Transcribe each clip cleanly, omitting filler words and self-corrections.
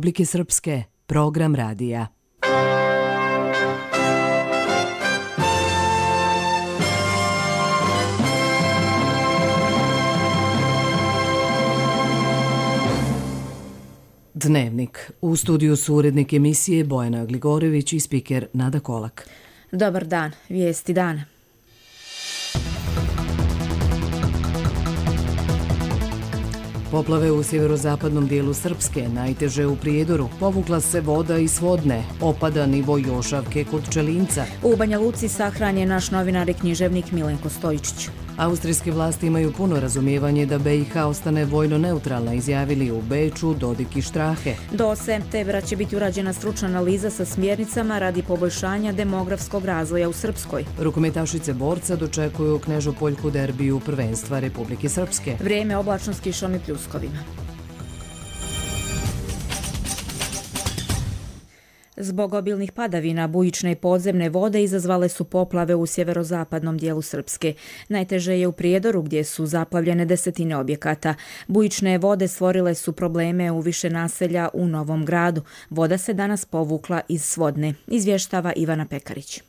Republike Srpske, program radija. Dnevnik. U studiju su urednik emisije Bojana Gligorević i spiker Nada Kolak. Dobar dan, vijesti dana. Poplave u sjeverozapadnom dijelu Srpske, najteže u Prijedoru, povukla se voda iz Svodne, opada nivo Jošavke kod Čelinca. U Banja Luci sahran je naš novinar i književnik Milenko Stojičić. Austrijske vlasti imaju puno razumijevanje da BiH ostane vojno neutralna, izjavili u Beču Dodik i Štrahe. Do septembra će biti urađena stručna analiza sa smjernicama radi poboljšanja demografskog razvoja u Srpskoj. Rukometašice borca dočekuju Knežopoljku derbiju prvenstva Republike Srpske. Vrijeme oblačno s kišom i pljuskovima. Zbog obilnih padavina, bujične i podzemne vode izazvale su poplave u sjeverozapadnom dijelu Srpske. Najteže je u Prijedoru gdje su zaplavljene desetine objekata. Bujične vode stvorile su probleme u više naselja u Novom Gradu. Voda se danas povukla iz Svodne, izvještava Ivana Pekarić.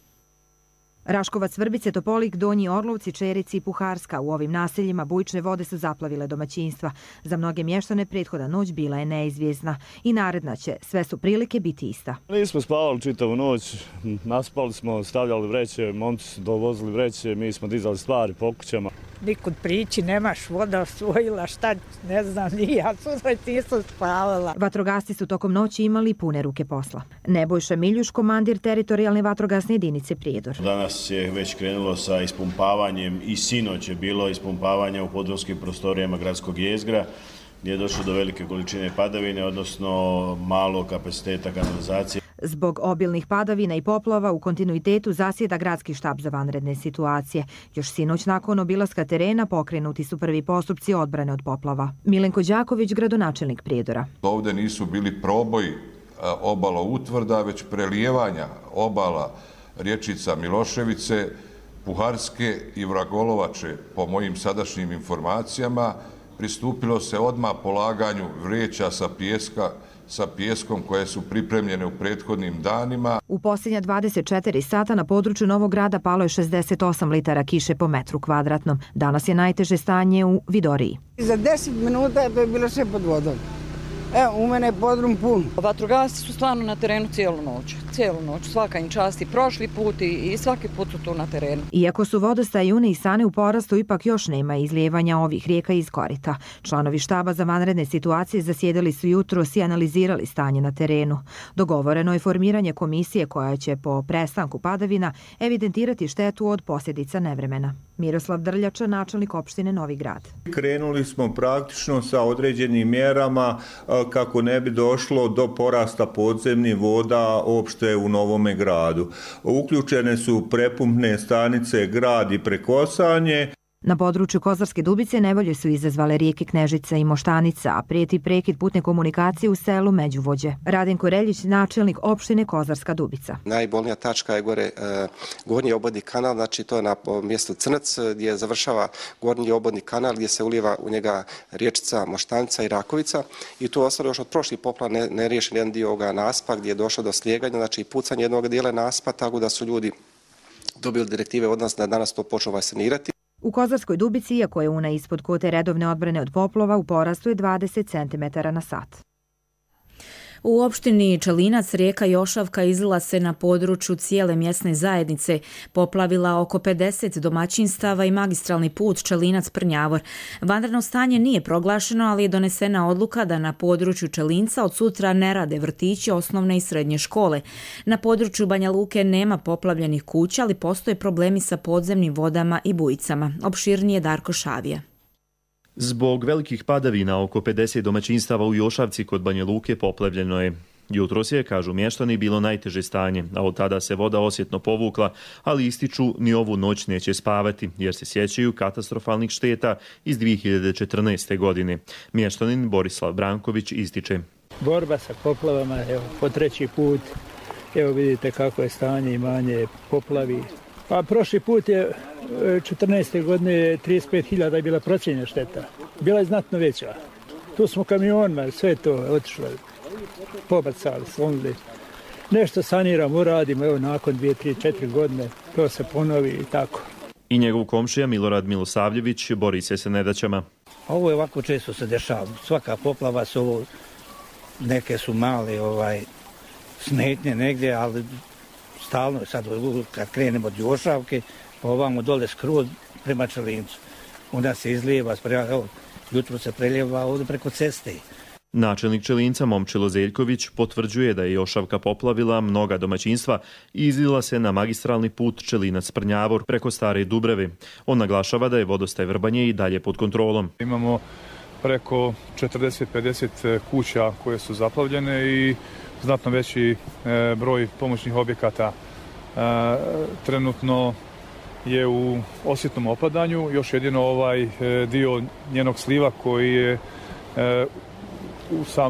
Raškovac, Vrbice, Topolik, Donji Orlovci, Čerici i Puharska. U ovim naseljima bujične vode su zaplavile domaćinstva. Za mnoge mještane prethodna noć bila je neizvjesna i naredna će, sve su prilike biti ista. Nismo spavali čitavu noć, naspali smo, stavljali vreće, momci su dovozili vreće, mi smo dizali stvari po kućama. Nikud prići, nemaš, voda osvojila, šta, ne znam, ja nisam spavala. Vatrogasci su tokom noći imali pune ruke posla. Nebojša Miljuš, komandir teritorijalne vatrogasne jedinice Prijedor. Danas je već krenulo sa ispumpavanjem i sinoć je bilo ispumpavanja u podrumskim prostorijama gradskog jezgra, gdje je došlo do velike količine padavine, odnosno malog kapaciteta kanalizacije. Zbog obilnih padavina i poplava u kontinuitetu zasjeda gradski štab za vanredne situacije. Još sinoć nakon obilaska terena pokrenuti su prvi postupci odbrane od poplava. Milenko Đaković, gradonačelnik Prijedora. Ovdje nisu bili proboji obala utvrda, već prelijevanja obala rječica Miloševice, Puharske i Vragolovače. Po mojim sadašnjim informacijama pristupilo se odmah polaganju vreća sa pijeskom koje su pripremljene u prethodnim danima. U posljednja 24 sata na području Novog Grada palo je 68 litara kiše po metru kvadratnom. Danas je najteže stanje u Vidoriji. Za 10 minuta je bilo sve pod vodom. Evo, u mene je podrum pun. Vatrogasci su stvarno na terenu cijelu noć, svaka im čast i prošli put i svaki put su tu na terenu. Iako su vodostaji Une i Sane u porastu, ipak još nema izlijevanja ovih rijeka iz korita. Članovi štaba za vanredne situacije zasjedali su jutros i analizirali stanje na terenu. Dogovoreno je formiranje komisije koja će po prestanku padavina evidentirati štetu od posljedica nevremena. Miroslav Drljača, načelnik opštine Novi Grad. Krenuli smo praktično sa određenim mjerama kako ne bi došlo do porasta podzemnih voda opšte u Novome Gradu. Uključene su prepumpne stanice Grad i Prekosanje. Na području Kozarske Dubice nevolje su izazvale rijeke Knežica i Moštanica, a prijeti prekid putne komunikacije u selu Međuvođe. Radenko Reljić, načelnik opštine Kozarska Dubica. Najbolnija tačka je gore gornji obodni kanal, znači to je na mjestu Crnac gdje završava gornji obodni kanal gdje se ulijeva u njega riječica Moštanica i Rakovica i tu ostalo još od prošlih poplava neriješen jedan dio ovoga naspa gdje je došlo do slijeganja, znači pucanje jednog dijela naspa, tako da su ljudi dobili direktive od nas da danas to počnu sanirati. U Kozarskoj Dubici, iako je Una ispod kote redovne odbrane od poplova, u porastu je 20 cm na sat. U opštini Čelinac rijeka Jošavka izlila se na području cijele mjesne zajednice, poplavila oko 50 domaćinstava i magistralni put Čelinac-Prnjavor. Vanredno stanje nije proglašeno, ali je donesena odluka da na području Čelinca od sutra ne rade vrtići, osnovne i srednje škole. Na području Banja Luke nema poplavljenih kuća, ali postoje problemi sa podzemnim vodama i bujicama. Opširnije Darko Šavija. Zbog velikih padavina oko 50 domaćinstava u Jošavci kod Banja Luke poplavljeno je. Jutros je, kažu mještani, bilo najteže stanje, a od tada se voda osjetno povukla, ali ističu ni ovu noć neće spavati, jer se sjećaju katastrofalnih šteta iz 2014. godine. Mještanin Borislav Branković ističe. Borba sa poplavama, evo, po treći put, evo vidite kako je stanje, imanje poplavi. Pa prošli put je 14. godine 35.000 je bila procijenjena šteta. Bila je znatno veća. Tu smo kamionima, sve to otišlo. pobrcali, slomili. Nešto saniramo, uradimo, evo nakon 2, 3, 4 godine to se ponovi i tako. I njegov komšija Milorad Milosavljević bori se sa nedaćama. Ovo je ovako često se dešava. Svaka poplava su ovo, neke su male smetnje negdje, ali stalno sad kad krenemo od Jošavke, pa ovamo dole skroz prema Čelincu. Onda se izlijeva, jutro se preljeva ovdje preko ceste. Načelnik Čelinca Momčilo Zeljković potvrđuje da je Jošavka poplavila mnoga domaćinstva i izlila se na magistralni put Čelinac-Prnjavor preko Stare Dubrave. On naglašava da je vodostaj Vrbanje i dalje pod kontrolom. Imamo preko 40-50 kuća koje su zaplavljene i znatno veći broj pomoćnih objekata. Trenutno je u osjetnom opadanju, još jedino ovaj dio njenog sliva koji je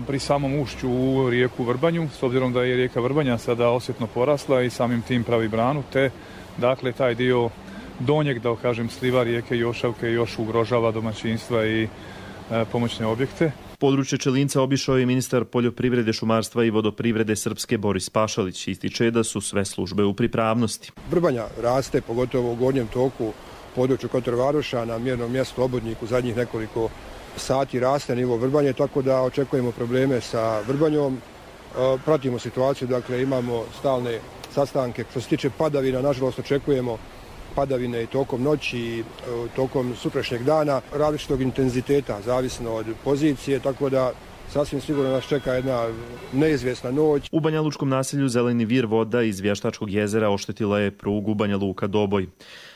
pri samom ušću u rijeku Vrbanju, s obzirom da je rijeka Vrbanja sada osjetno porasla i samim tim pravi branu, te dakle taj dio donjeg, da kažem, sliva rijeke Jošavke još ugrožava domaćinstva i pomoćne objekte. Područje Čelinca obišao je ministar poljoprivrede, šumarstva i vodoprivrede Srpske Boris Pašalić. Ističe da su sve službe u pripravnosti. Vrbanja raste, pogotovo u gornjem toku području Kotor-Varoša, na mjernom mjestu Obodniku zadnjih nekoliko sati raste nivo Vrbanje, tako da očekujemo probleme sa Vrbanjom. Pratimo situaciju, dakle imamo stalne sastanke. Što se tiče padavina, nažalost očekujemo padavine i tokom noći i tokom sutrašnjeg dana različitog intenziteta, zavisno od pozicije, tako da sasvim sigurno nas čeka jedna neizvjesna noć. U Banja Lučkom naselju Zeleni vir voda iz Vještačkog jezera oštetila je prugu Banja Luka-Doboj.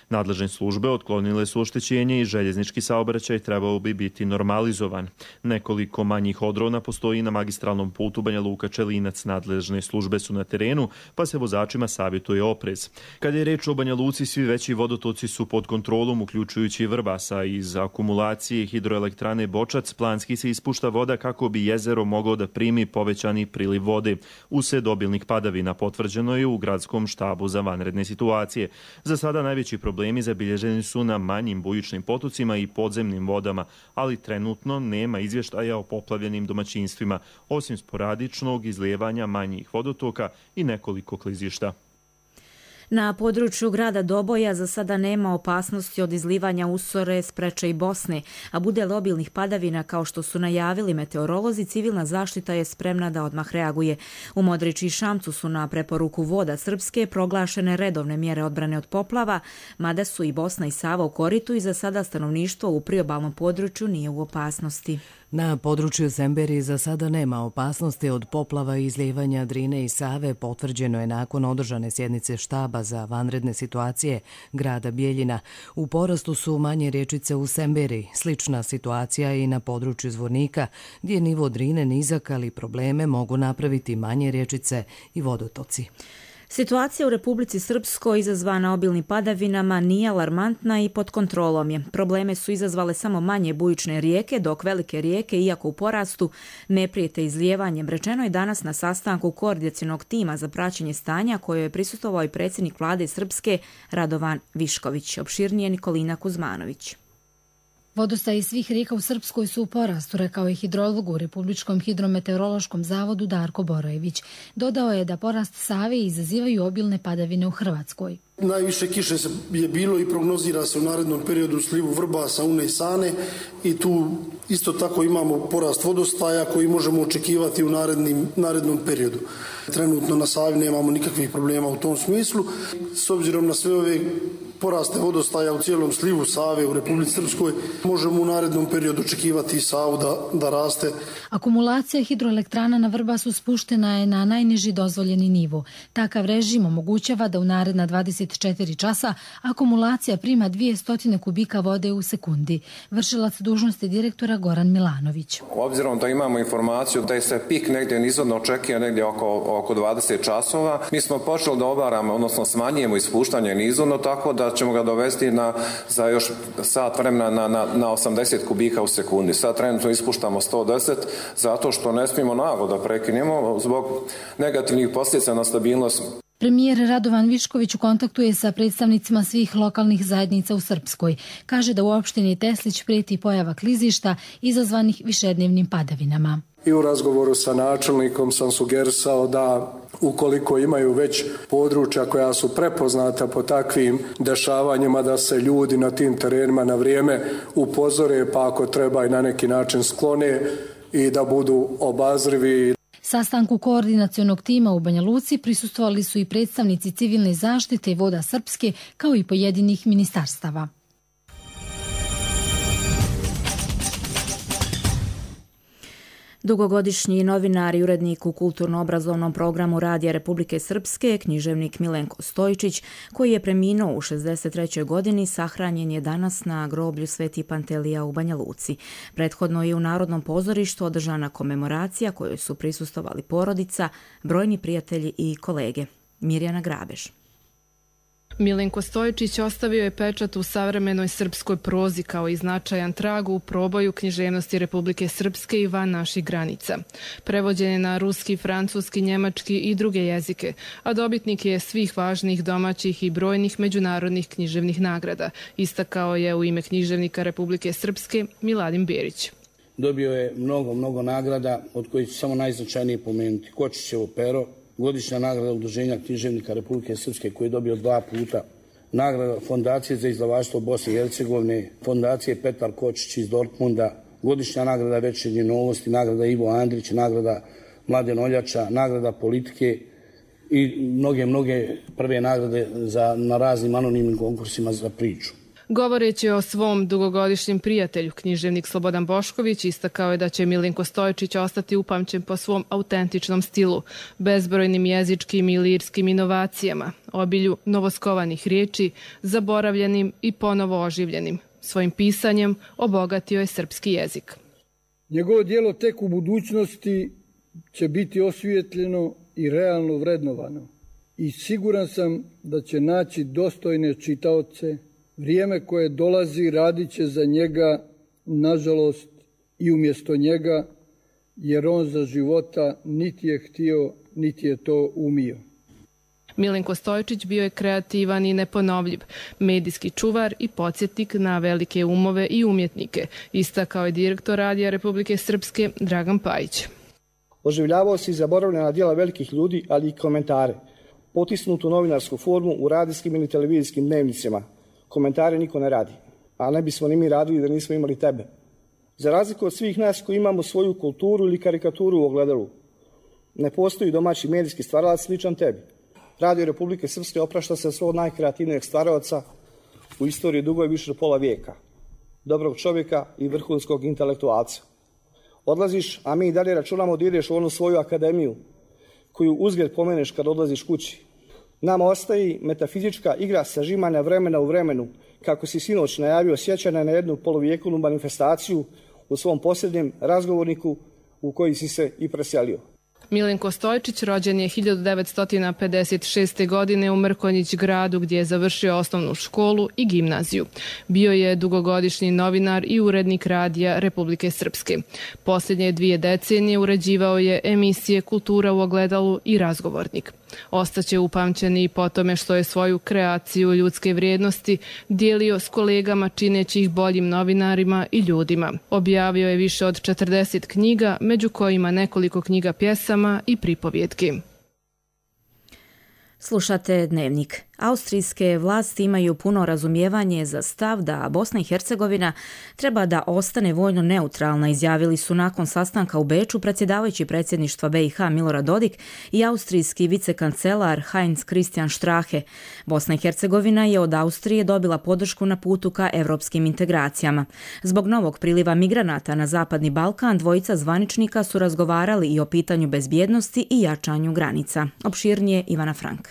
Nadležne službe otklonile su oštećenje i željeznički saobraćaj trebao bi biti normalizovan. Nekoliko manjih odrona postoji na magistralnom putu Banja Luka-Čelinac. Nadležne službe su na terenu, pa se vozačima savjetuje oprez. Kad je reč o Banja Luci, svi veći vodotoci su pod kontrolom, uključujući Vrbasa. Iz akumulacije hidroelektrane Bočac planski se ispušta voda kako bi jezero moglo da primi povećani priliv vode. Usred obilnih padavina potvrđeno je u gradskom štabu za vanredne situacije. Za sada najveći problemi zabilježeni su na manjim bujičnim potocima i podzemnim vodama, ali trenutno nema izvještaja o poplavljenim domaćinstvima, osim sporadičnog izlijevanja manjih vodotoka i nekoliko klizišta. Na području grada Doboja za sada nema opasnosti od izlivanja usore, Spreče i Bosne, a bude li obilnih padavina kao što su najavili meteorolozi, civilna zaštita je spremna da odmah reaguje. U Modriči i Šamcu su na preporuku Voda Srpske proglašene redovne mjere odbrane od poplava, mada su i Bosna i Sava u koritu i za sada stanovništvo u priobalnom području nije u opasnosti. Na području Semberije za sada nema opasnosti od poplava i izlijevanja Drine i Save, potvrđeno je nakon održane sjednice štaba za vanredne situacije grada Bijeljina. U porastu su manje rječice u Semberiji. Slična situacija je i na području Zvornika, gdje je nivo Drine nizak, ali probleme mogu napraviti manje rječice i vodotoci. Situacija u Republici Srpskoj izazvana obilnim padavinama nije alarmantna i pod kontrolom je. Probleme su izazvale samo manje bujične rijeke, dok velike rijeke, iako u porastu, ne prijete izlijevanjem. Rečeno je danas na sastanku koordinacionog tima za praćenje stanja kojoj je prisustvovao i predsjednik vlade Srpske Radovan Višković. Opširnije Nikolina Kuzmanović. Vodostaji svih rijeka u Srpskoj su u porastu, rekao je hidrolog u Republičkom hidrometeorološkom zavodu Darko Borojević. Dodao je da porast Save izazivaju obilne padavine u Hrvatskoj. Najviše kiše je bilo i prognozira se u narednom periodu u slivu Vrbasa, Une i Sane i tu isto tako imamo porast vodostaja koji možemo očekivati u narednom periodu. Trenutno na Savi nemamo nikakvih problema u tom smislu. S obzirom na sve ove poraste vodostaja u cijelom slivu Save u Republici Srpskoj, možemo u narednom periodu očekivati i Savu da raste. Akumulacija hidroelektrana na Vrbasu spuštena je na najniži dozvoljeni nivo. Takav režim omogućava da u naredna 24 časa akumulacija prima 200 kubika vode u sekundi. Vršilac dužnosti direktora Goran Milanović. Obzirom da imamo informaciju da je se pik negdje nizvodno očekuje negdje oko 20 časova, mi smo počeli da obaramo, odnosno smanjujemo ispuštanje nizvodno, tako da ćemo ga dovesti za još sat vremena na 80 kubika u sekundi. Sad trenutno ispuštamo 110 zato što ne smijemo naglo da prekinemo zbog negativnih posljedica na stabilnost. Premijer Radovan Višković u kontaktu je sa predstavnicima svih lokalnih zajednica u Srpskoj. Kaže da u opštini Teslić prijeti pojava klizišta izazvanih višednevnim padavinama. I u razgovoru sa načelnikom sam sugerisao da ukoliko imaju već područja koja su prepoznata po takvim dešavanjima, da se ljudi na tim terenima na vrijeme upozore, pa ako treba i na neki način sklone i da budu obazrivi. Sastanku koordinacionog tima u Banja Luci prisustvovali su i predstavnici civilne zaštite i Voda Srpske, kao i pojedinih ministarstava. Dugogodišnji novinar i urednik u kulturno-obrazovnom programu Radija Republike Srpske, književnik Milenko Stojčić, koji je preminuo u 63. godini, sahranjen je danas na groblju Sveti Pantelija u Banja Luci. Prethodno je u Narodnom pozorištu održana komemoracija kojoj su prisustvovali porodica, brojni prijatelji i kolege. Mirjana Grabež. Milenko Stojčić ostavio je pečat u savremenoj srpskoj prozi kao i značajan trag u proboju književnosti Republike Srpske i van naših granica. Prevođen je na ruski, francuski, njemački i druge jezike, a dobitnik je svih važnih domaćih i brojnih međunarodnih književnih nagrada, istakao je u ime književnika Republike Srpske Miladin Berić. Dobio je mnogo nagrada, od kojih ću samo najznačajnije pomenuti. Kočićevo pero, godišnja nagrada Udruženja književnika Republike Srpske koji je dobio 2 puta, nagrada Fondacije za izdavaštvo Bosne i Hercegovine, Fondacije Petar Kočić iz Dortmunda, godišnja nagrada Večernje novosti, nagrada Ivo Andrić, nagrada Mladen Oljača, nagrada Politike i mnoge prve nagrade na raznim anonimnim konkursima za priču. Govoreći o svom dugogodišnjem prijatelju, književnik Slobodan Bošković istakao je da će Milenko Stojčić ostati upamćen po svom autentičnom stilu, bezbrojnim jezičkim i lirskim inovacijama, obilju novoskovanih riječi, zaboravljenim i ponovo oživljenim. Svojim pisanjem obogatio je srpski jezik. Njegovo djelo tek u budućnosti će biti osvijetljeno i realno vrednovano. I siguran sam da će naći dostojne čitaoce. Vrijeme koje dolazi radit će za njega, nažalost, i umjesto njega, jer on za života niti je htio, niti je to umio. Milenko Stojčić bio je kreativan i neponovljiv, medijski čuvar i podsjetnik na velike umove i umjetnike, istakao je direktor Radija Republike Srpske Dragan Pajić. Oživljavao se i zaboravljena djela velikih ljudi, ali i komentare. Potisnutu novinarsku formu u radijskim ili televizijskim dnevnicima. Komentare niko ne radi, a ne bismo ni mi radili da nismo imali tebe. Za razliku od svih nas koji imamo svoju kulturu ili karikaturu u ogledalu, ne postoji domaći medijski stvaralac sličan tebi. Radio Republike Srpske oprašta se svog najkreativnijeg stvaralaca u istoriji dugoj više od pola vijeka, dobrog čovjeka i vrhunskog intelektualca. Odlaziš, a mi i dalje računamo da ideš u onu svoju akademiju koju uzgled pomeneš kad odlaziš kući. Nama ostaje metafizička igra sažimanja vremena u vremenu, kako si sinoć najavio sjećanja na jednu poluvijekovnu manifestaciju u svom posljednjem razgovorniku u koji si se i preselio. Milenko Stojčić rođen je 1956. godine u Mrkonjić gradu gdje je završio osnovnu školu i gimnaziju. Bio je dugogodišnji novinar i urednik Radija Republike Srpske. Posljednje 2 decenije uređivao je emisije Kultura u ogledalu i Razgovornik. Ostaće upamćen i po tome što je svoju kreaciju ljudske vrijednosti dijelio s kolegama čineći ih boljim novinarima i ljudima. Objavio je više od 40 knjiga, među kojima nekoliko knjiga pjesama i pripovjetki. Slušate Dnevnik. Austrijske vlasti imaju puno razumijevanje za stav da Bosna i Hercegovina treba da ostane vojno neutralna, izjavili su nakon sastanka u Beču predsjedavajući predsjedništva BiH Milorad Dodik i austrijski vicekancelar Heinz Christian Strache. Bosna i Hercegovina je od Austrije dobila podršku na putu ka evropskim integracijama. Zbog novog priliva migranata na Zapadni Balkan, dvojica zvaničnika su razgovarali i o pitanju bezbjednosti i jačanju granica. Opširnije Ivana Frank.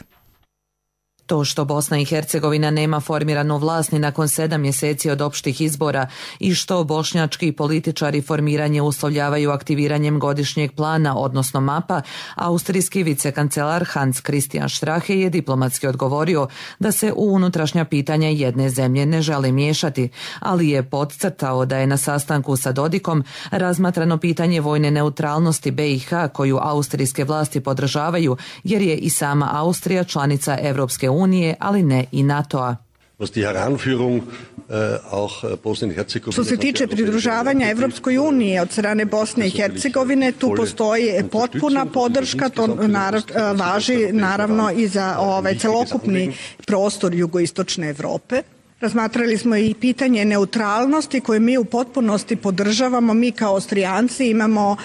To što Bosna i Hercegovina nema formiranu vlast ni nakon 7 mjeseci od opštih izbora i što bošnjački političari formiranje uslovljavaju aktiviranjem godišnjeg plana, odnosno mapa, austrijski vicekancelar Hans Christian Strache je diplomatski odgovorio da se u unutrašnja pitanja jedne zemlje ne želi miješati, ali je podcrtao da je na sastanku sa Dodikom razmatrano pitanje vojne neutralnosti BiH koju austrijske vlasti podržavaju jer je i sama Austrija članica Evropske unije, ali ne i NATO-a. Što se tiče pridružavanja Evropskoj uniji od strane Bosne i Hercegovine, tu postoji potpuna podrška, to važi naravno i za celokupni prostor jugoistočne Evrope. Razmatrali smo i pitanje neutralnosti koje mi u potpunosti podržavamo. Mi kao Austrijanci imamo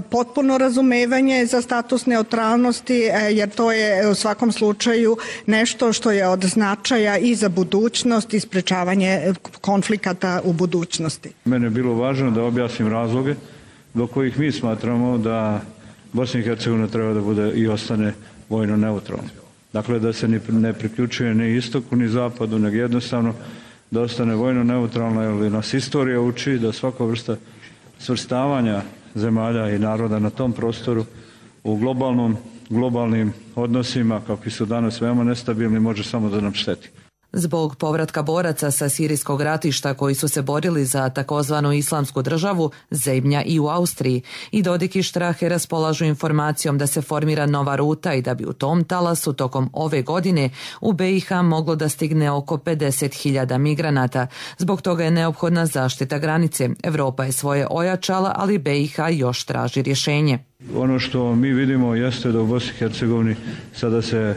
potpuno razumevanje za status neutralnosti jer to je u svakom slučaju nešto što je od značaja i za budućnost i sprečavanje konflikata u budućnosti. Mene je bilo važno da objasnim razloge do kojih mi smatramo da Bosna i Hercegovina treba da bude i ostane vojno neutralna. Dakle, da se ne priključuje ni istoku ni zapadu, nego jednostavno da ostane vojno neutralna, jer nas istorija uči da svaka vrsta svrstavanja zemalja i naroda na tom prostoru u globalnim odnosima, kakvi su danas veoma nestabilni, može samo da nam šteti. Zbog povratka boraca sa sirijskog ratišta koji su se borili za takozvanu islamsku državu, zebnja i u Austriji, i Dodik i Strache raspolažu informacijom da se formira nova ruta i da bi u tom talasu tokom ove godine u BiH moglo da stigne oko 50.000 migranata. Zbog toga je neophodna zaštita granice. Evropa je svoje ojačala, ali BiH još traži rješenje. Ono što mi vidimo jeste da u Bosni i Hercegovini sada se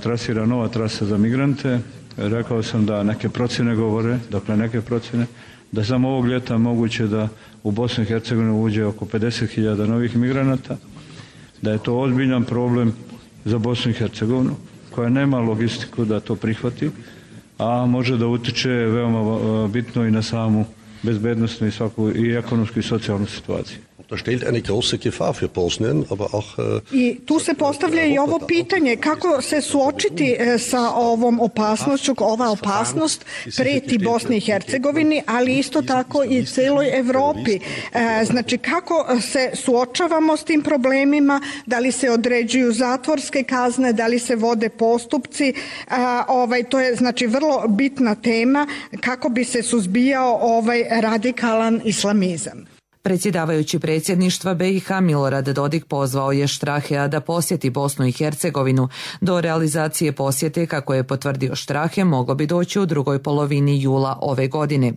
trasira nova trasa za migrante. Rekao sam da neke procjene govore, da samo ovog ljeta moguće da u Bosnu i Hercegovinu uđe oko 50.000 novih migranata, da je to ozbiljan problem za Bosnu i Hercegovinu, koja nema logistiku da to prihvati, a može da utiče veoma bitno i na samu bezbednostnu i ekonomsku i socijalnu situaciju. I tu se postavlja i ovo pitanje kako se suočiti sa ovom opasnošću. Ova opasnost preti Bosni i Hercegovini, ali isto tako i celoj Evropi. Znači kako se suočavamo s tim problemima, da li se određuju zatvorske kazne, da li se vode postupci. To je znači vrlo bitna tema kako bi se suzbijao ovaj radikalan islamizam. Predsjedavajući predsjedništva BiH Milorad Dodik pozvao je Strachea da posjeti Bosnu i Hercegovinu. Do realizacije posjete, kako je potvrdio Strache, moglo bi doći u drugoj polovini jula ove godine.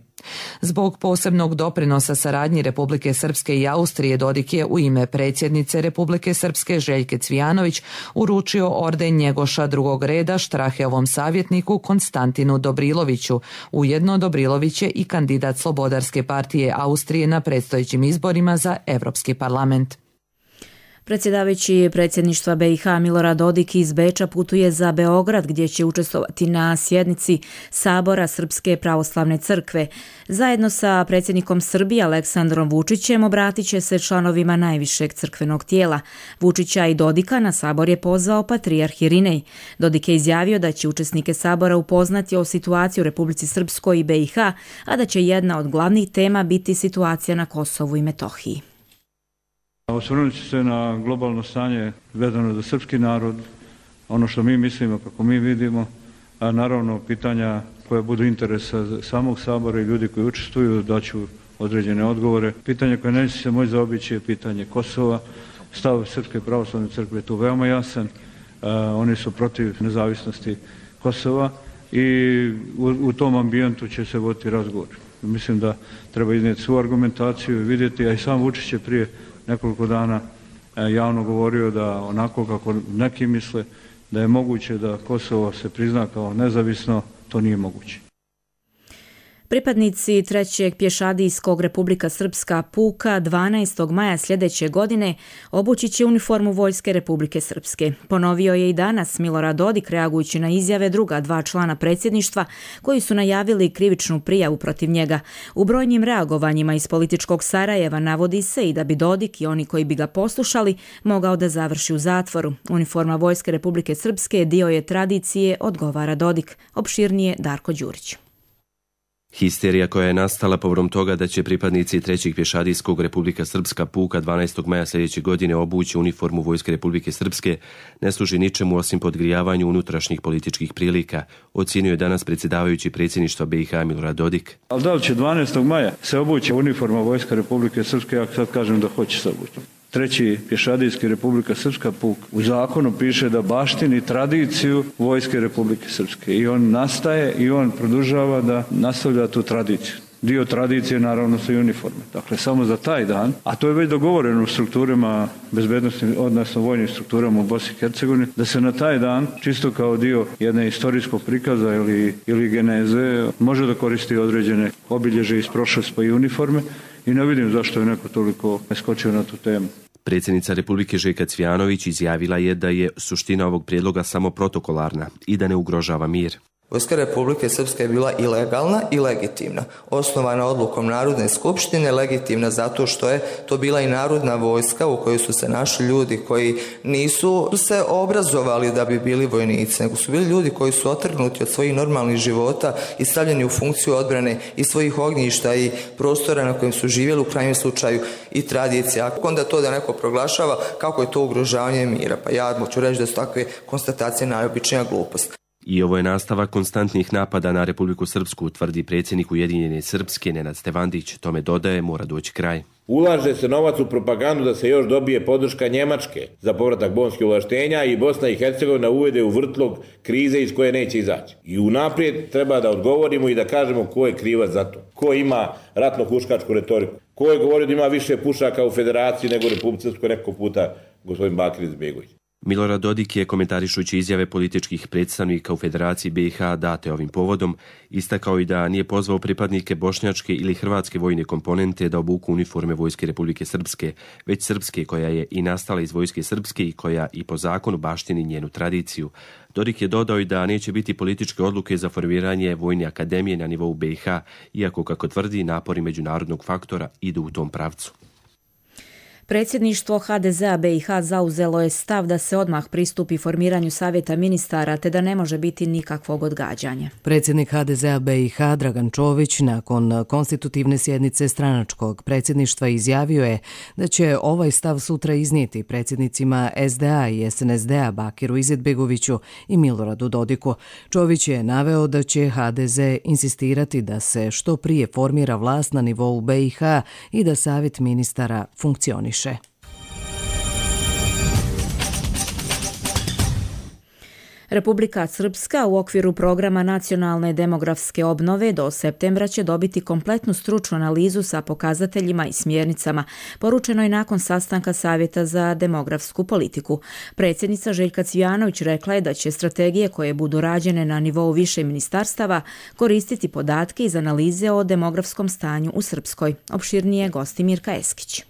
Zbog posebnog doprinosa saradnji Republike Srpske i Austrije, Dodik je u ime predsjednice Republike Srpske Željke Cvijanović uručio orden Njegoša drugog reda Straheovom savjetniku Konstantinu Dobriloviću. Ujedno Dobrilović je i kandidat Slobodarske partije Austrije na predstojećim izborima za Europski parlament. Predsjedavajući predsjedništva BiH Milorad Dodik iz Beča putuje za Beograd gdje će učestvovati na sjednici Sabora Srpske pravoslavne crkve. Zajedno sa predsjednikom Srbije Aleksandrom Vučićem obratit će se članovima najvišeg crkvenog tijela. Vučića i Dodika na Sabor je pozvao patrijarh Irinej. Dodik je izjavio da će učesnike Sabora upoznati o situaciji u Republici Srpskoj i BiH, a da će jedna od glavnih tema biti situacija na Kosovu i Metohiji. Osvrnut ću se na globalno stanje vezano za srpski narod, ono što mi mislimo, kako mi vidimo, a naravno pitanja koja budu interesa samog Sabora i ljudi koji učestvuju daću određene odgovore. Pitanje koje neće se moći zaobići je pitanje Kosova. Stav Srpske pravoslavne crkve je tu veoma jasan. Oni su protiv nezavisnosti Kosova i u tom ambijentu će se voditi razgovor. Mislim da treba iznijeti svu argumentaciju i vidjeti, a i sam Vučić je prije nekoliko dana javno govorio da onako kako neki misle da je moguće da Kosovo se prizna kao nezavisno, to nije moguće. Pripadnici 3. pješadijskog Republika Srpska puka 12. maja sljedeće godine obući će uniformu Vojske Republike Srpske. Ponovio je i danas Milorad Dodik reagujući na izjave druga dva člana predsjedništva koji su najavili krivičnu prijavu protiv njega. U brojnim reagovanjima iz političkog Sarajeva navodi se i da bi Dodik i oni koji bi ga poslušali mogao da završi u zatvoru. Uniforma Vojske Republike Srpske dio je tradicije, odgovara Dodik. Opširnije Darko Đurić. Histerija koja je nastala povodom toga da će pripadnici 3. pješadijskog Republika Srpska puka 12. maja sljedeće godine obući uniformu Vojske Republike Srpske ne služi ničemu osim podgrijavanju unutrašnjih političkih prilika, ocijenio je danas predsjedavajući predsjedništva BiH Milorad Dodik. Ali da li će 12. maja se obući uniforma Vojske Republike Srpske, ja sad kažem da hoće se obući. 3. pješadijski Republika Srpska puk u zakonu piše da baštini tradiciju Vojske Republike Srpske i on nastaje i on produžava da nastavlja tu tradiciju. Dio tradicije naravno su i uniforme. Dakle, samo za taj dan, a to je već dogovoreno u strukturama bezbednosti, odnosno vojnim strukturama u Bosni i Hercegovini, da se na taj dan, čisto kao dio jedne istorijskog prikaza ili geneze, može da koristi određene obilježe iz prošlosti pa i uniforme i ne vidim zašto je neko toliko skočio na tu temu. Predsjednica Republike Željka Cvijanović izjavila je da je suština ovog prijedloga samo protokolarna i da ne ugrožava mir. Vojska Republike Srpske je bila i legalna i legitimna. Osnovana odlukom Narodne skupštine, legitimna zato što je to bila i narodna vojska u kojoj su se našli ljudi koji nisu se obrazovali da bi bili vojnici, nego su bili ljudi koji su otrgnuti od svojih normalnih života i stavljeni u funkciju odbrane i svojih ognjišta i prostora na kojem su živjeli, u krajnjem slučaju i tradicija. Onda to da neko proglašava kako je to ugrožavanje mira. Pa ja moću reći da su takve konstatacije najobičnija glupost. I ovo je nastavak konstantnih napada na Republiku Srpsku, tvrdi predsjednik Ujedinjene Srpske Nenad Stevandić. Tome dodaje, mora doći kraj. Ulaže se novac u propagandu da se još dobije podrška Njemačke za povratak bonskih ovlaštenja i Bosna i Hercegovina uvede u vrtlog krize iz koje neće izaći. I unaprijed treba da odgovorimo i da kažemo ko je krivac za to. Ko ima ratno-huškačku retoriku. Ko je govorio da ima više pušaka u federaciji nego u Republici Srpskoj neko puta gospodin Bakir Izetbegović. Milorad Dodik je, komentarišući izjave političkih predstavnika u Federaciji BiH date ovim povodom, istakao i da nije pozvao pripadnike bošnjačke ili hrvatske vojne komponente da obuku uniforme Vojske Republike Srpske, već srpske koja je i nastala iz Vojske Srpske i koja i po zakonu baštini njenu tradiciju. Dodik je dodao i da neće biti političke odluke za formiranje vojne akademije na nivou BiH, iako, kako tvrdi, napori međunarodnog faktora idu u tom pravcu. Predsjedništvo HDZ-a BiH zauzelo je stav da se odmah pristupi formiranju savjeta ministara te da ne može biti nikakvog odgađanja. Predsjednik HDZ-a BiH Dragan Čović nakon konstitutivne sjednice stranačkog predsjedništva izjavio je da će ovaj stav sutra iznijeti predsjednicima SDA i SNSD-a Bakiru Izetbegoviću i Miloradu Dodiku. Čović je naveo da će HDZ insistirati da se što prije formira vlast na nivou BiH i da savjet ministara funkcioniše. Republika Srpska u okviru programa nacionalne demografske obnove do septembra će dobiti kompletnu stručnu analizu sa pokazateljima i smjernicama, poručeno je nakon sastanka Savjeta za demografsku politiku. Predsjednica Željka Cvijanović rekla je da će strategije koje budu rađene na nivou više ministarstava koristiti podatke iz analize o demografskom stanju u Srpskoj. Opširnije gosti Mirka Eskić.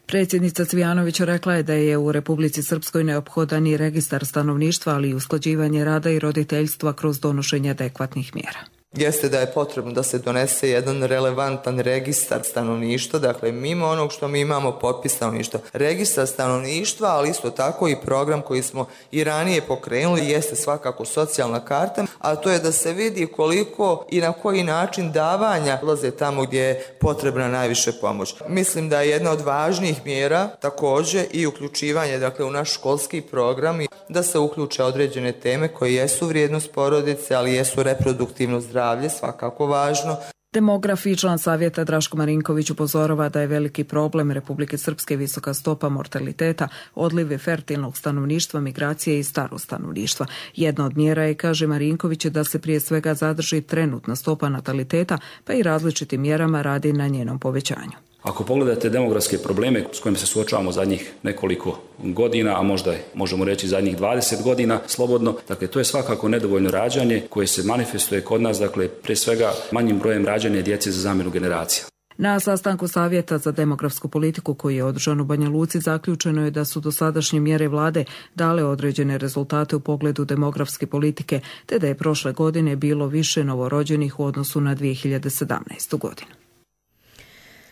Predsjednica Cvijanović rekla je da je u Republici Srpskoj neophodan i registar stanovništva, ali i usklađivanje rada i roditeljstva kroz donošenje adekvatnih mjera. Jeste da je potrebno da se donese jedan relevantan registar stanovništva, dakle mimo onog što mi imamo popis stanovništva. Registar stanovništva, ali isto tako i program koji smo i ranije pokrenuli jeste svakako socijalna karta, a to je da se vidi koliko i na koji način davanja ulaze tamo gdje je potrebna najviše pomoć. Mislim da je jedna od važnijih mjera također i uključivanje dakle u naš školski program i da se uključe određene teme koje jesu vrijednost porodice, ali jesu reproduktivno zdravlje, svakako važno. Demograf i član savjeta Draško Marinković upozorava da je veliki problem Republike Srpske visoka stopa mortaliteta, odliv fertilnog stanovništva, migracije i starog stanovništva. Jedna od mjera je, kaže Marinković, da se prije svega zadrži trenutna stopa nataliteta, pa i različitim mjerama radi na njenom povećanju. Ako pogledate demografske probleme s kojima se suočavamo zadnjih nekoliko godina, a možda možemo reći zadnjih 20 godina slobodno, dakle to je svakako nedovoljno rađanje koje se manifestuje kod nas, dakle pre svega manjim brojem rađanja djece za zamjenu generacija. Na sastanku Savjeta za demografsku politiku koji je održan u Banja Luci zaključeno je da su dosadašnje mjere vlade dale određene rezultate u pogledu demografske politike, te da je prošle godine bilo više novorođenih u odnosu na 2017. godinu.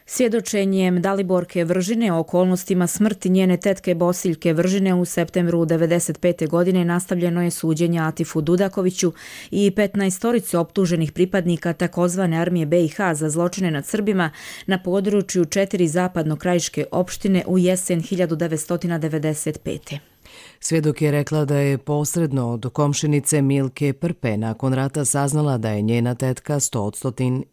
Svjedočenjem Daliborke Vržine o okolnostima smrti njene tetke Bosiljke Vržine u septembru 1995. godine nastavljeno je suđenje Atifu Dudakoviću i 15 optuženih pripadnika takozvane armije BiH za zločine nad Srbima na području 4 zapadno-krajiške opštine u jesen 1995. Svjedok je rekla da je posredno od komšinice Milke Prpe nakon rata saznala da je njena tetka 100%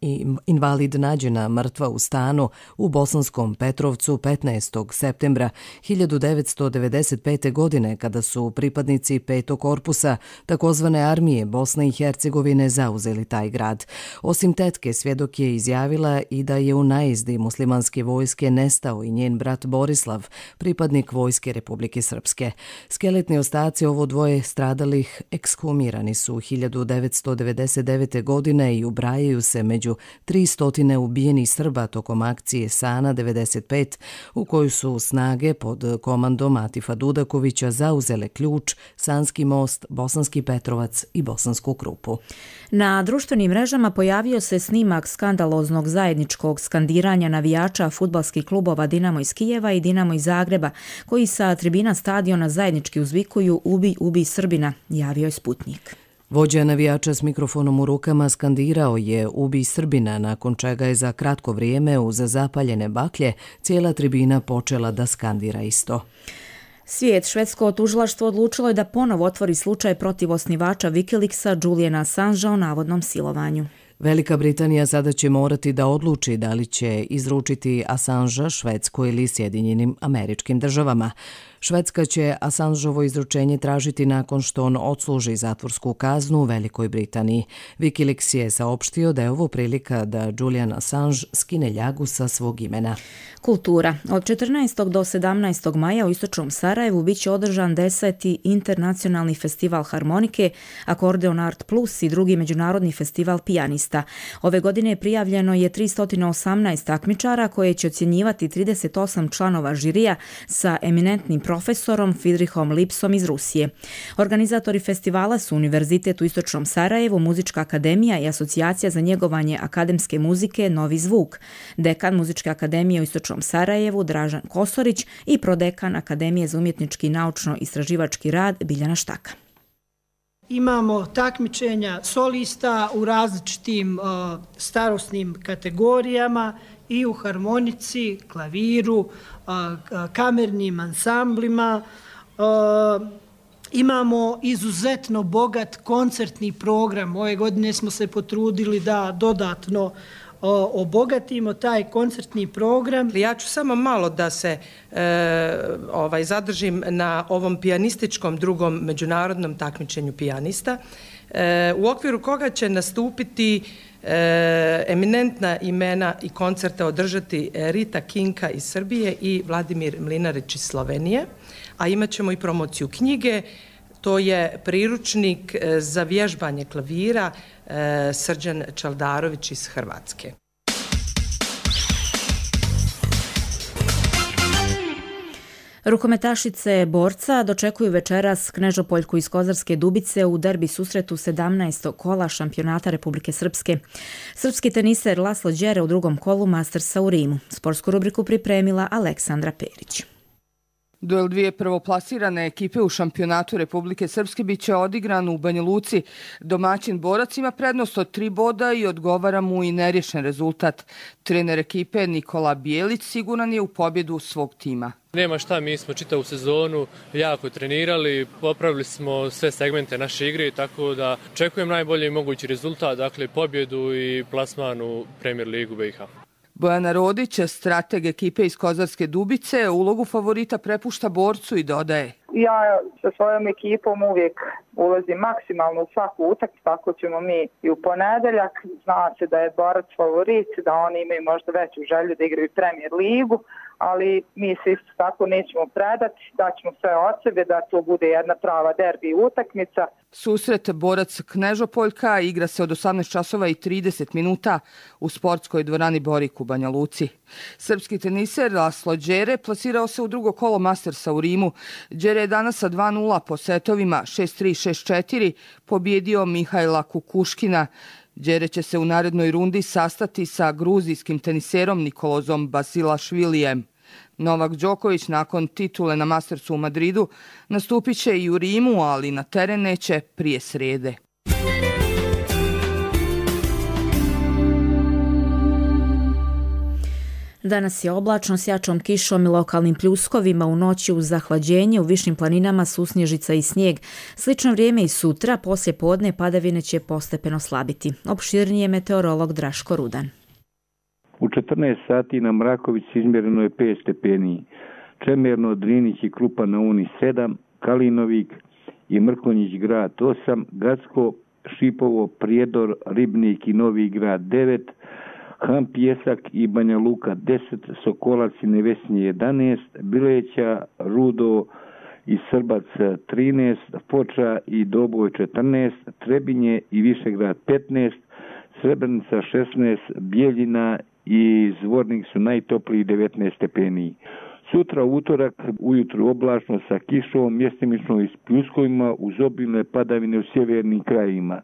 invalid nađena mrtva u stanu u Bosanskom Petrovcu 15. septembra 1995. godine kada su pripadnici 5. korpusa takozvane armije Bosne i Hercegovine zauzeli taj grad. Osim tetke, svjedok je izjavila i da je u najezdi muslimanske vojske nestao i njen brat Borislav, pripadnik Vojske Republike Srpske. Skeletni ostaci ovo dvoje stradalih ekshumirani su 1999. godine i ubrajaju se među 300 ubijenih Srba tokom akcije Sana 95, u kojoj su snage pod komandom Atifa Dudakovića zauzele Ključ, Sanski most, Bosanski Petrovac i Bosansku Krupu. Na društvenim mrežama pojavio se snimak skandaloznog zajedničkog skandiranja navijača fudbalskih klubova Dinamo iz Kijeva i Dinamo iz Zagreba, koji sa tribina stadiona zajednički uzvikuju "Ubij, ubij Srbina", javio je Sputnik. Vođa navijača s mikrofonom u rukama skandirao je "Ubij Srbina", nakon čega je za kratko vrijeme uz zapaljene baklje cijela tribina počela da skandira isto. Svijet, švedsko tužilaštvo odlučilo je da ponovo otvori slučaj protiv osnivača Wikileaksa Juliana Assangea o navodnom silovanju. Velika Britanija sada će morati da odluči da li će izručiti Assangea Švedskoj ili Sjedinjenim Američkim Državama. Švedska će Assangeovo izručenje tražiti nakon što on odsluži zatvorsku kaznu u Velikoj Britaniji. Wikileaks je saopštio da je ovo prilika da Julian Assange skine ljagu sa svog imena. Kultura. Od 14. do 17. maja u istočnom Sarajevu biće održan 10. internacionalni festival harmonike, Akordeon Art Plus i drugi međunarodni festival pijanista. Ove godine prijavljeno je 318 takmičara koje će ocjenjivati 38 članova žirija sa eminentnim profesorom Friedrichom Lipsom iz Rusije. Organizatori festivala su Univerzitet u istočnom Sarajevu, Muzička akademija i Asocijacija za njegovanje akademske muzike Novi zvuk. Dekan Muzičke akademije u istočnom Sarajevu Dražan Kosorić i prodekan Akademije za umjetnički i naučno-istraživački rad Biljana Štaka. Imamo takmičenja solista u različitim starosnim kategorijama i u harmonici, klaviru, kamernim ansamblima. Imamo izuzetno bogat koncertni program. Ove godine smo se potrudili da dodatno obogatimo taj koncertni program. Ja ću samo malo da se zadržim na ovom pijanističkom drugom međunarodnom takmičenju pijanista, u okviru koga će nastupiti eminentna imena i koncerte održati Rita Kinka iz Srbije i Vladimir Mlinarić iz Slovenije, a imat ćemo i promociju knjige. To je priručnik za vježbanje klavira Srđan Čaldarović iz Hrvatske. Rukometašice borca dočekuju večeras Knežopoljku iz Kozarske Dubice u derbi susretu 17. kola šampionata Republike Srpske. Srpski teniser Laslo Đere u drugom kolu Mastersa u Rimu. Sportsku rubriku pripremila Aleksandra Perić. Duel dvije prvoplasirane ekipe u šampionatu Republike Srpske biće odigran u Banja Luci. Domaćin borac ima prednost od 3 boda i odgovara mu i nerješen rezultat. Trener ekipe Nikola Bijelić siguran je u pobjedu svog tima. Nema šta, mi smo čitavu sezonu jako trenirali, popravili smo sve segmente naše igre, tako da očekujem najbolji mogući rezultat, dakle pobjedu i plasman u Premier ligu BiH. Bojana Rodić, strateg ekipe iz Kozarske Dubice, ulogu favorita prepušta borcu i dodaje. Ja sa svojom ekipom uvijek ulazim maksimalno u svaku utakmicu, tako ćemo mi i u ponedeljak. Zna se da je Borac favorit, da oni imaju možda veću želju da igraju Premier ligu, ali mi se isto tako nećemo predati, daćemo sve od sebe da to bude jedna prava derbi utakmica. Susret Borac Knežopoljka igra se od 18 časova i 30 minuta u sportskoj dvorani Borik u Banja Luci. Srpski teniser Laslo Đere plasirao se u drugo kolo Mastersa u Rimu. Đere je danas sa 2-0 po setovima 6-3, 6-4 pobjedio Mihajla Kukuškina. Đere će se u narednoj rundi sastati sa gruzijskim teniserom Nikolozom Basilašvilijem. Novak Đoković nakon titule na Mastersu u Madridu nastupit će i u Rimu, ali na teren neće prije srede. Danas je oblačno s jačom kišom i lokalnim pljuskovima, u noći uz zahlađenje, u višim planinama susnježica i snijeg. Slično vrijeme i sutra, poslije podne padavine će postepeno slabiti. Opširnije meteorolog Draško Rudan. U 14 sati na Mrakovici izmjereno je 5 stepeni. Čemerno, Drinić i Krupa na Uni 7, Kalinovik i Mrkonjić grad 8, Gacko, Šipovo, Prijedor, Ribnik i Novi grad 9, Han Pjesak i Banja Luka 10, Sokolac i Nevesnje 11, Bileća, Rudo i Srbac 13, Foča i Doboj 14, Trebinje i Višegrad 15, Srebrenica 16, Bijeljina i Zvornik su najtopliji 19 stepeni. Sutra utorak ujutru oblačno sa kišom, mjestimično i s pljuskovima uz obilne padavine u sjevernim krajima.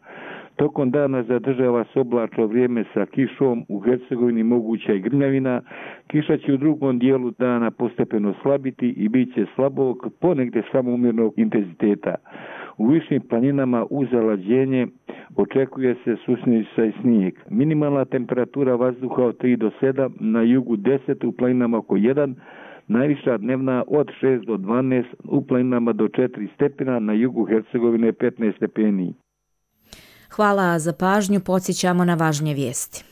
Tokom dana zadržava se oblačno vrijeme sa kišom, u Hercegovini moguća i grmljavina. Kiša će u drugom dijelu dana postepeno slabiti i bit će slabog, ponegdje samo umjernog intenziteta. U višim planinama uz zalađenje očekuje se susnježica i snijeg. Minimalna temperatura vazduha od 3 do 7, na jugu 10, u planinama oko 1, najviša dnevna od 6 do 12, u planinama do 4 stepena, na jugu Hercegovine 15 stepeni. Hvala za pažnju, podsjećamo na važnije vijesti.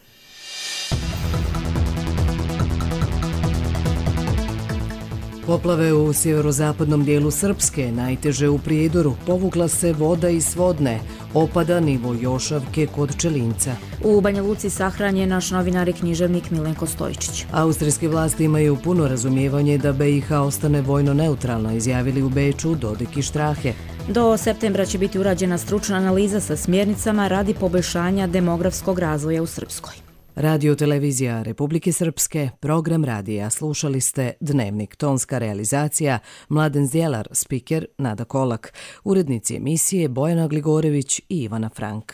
Poplave u sjeverozapadnom dijelu Srpske, najteže u Prijedoru, povukla se voda iz Svodne, opada nivo Jošavke kod Čelinca. U Banja Luci sahranjen je naš novinar i književnik Milenko Stojičić. Austrijske vlasti imaju puno razumijevanje da BiH ostane vojno neutralna, izjavili u Beču Dodik i Štrahe. Do septembra će biti urađena stručna analiza sa smjernicama radi poboljšanja demografskog razvoja u Srpskoj. Radio televizija Republike Srpske, program radija. Slušali ste Dnevnik, tonska realizacija Mladen Zdjelar, spiker Nada Kolak, urednici emisije Bojana Gligorević i Ivana Frank.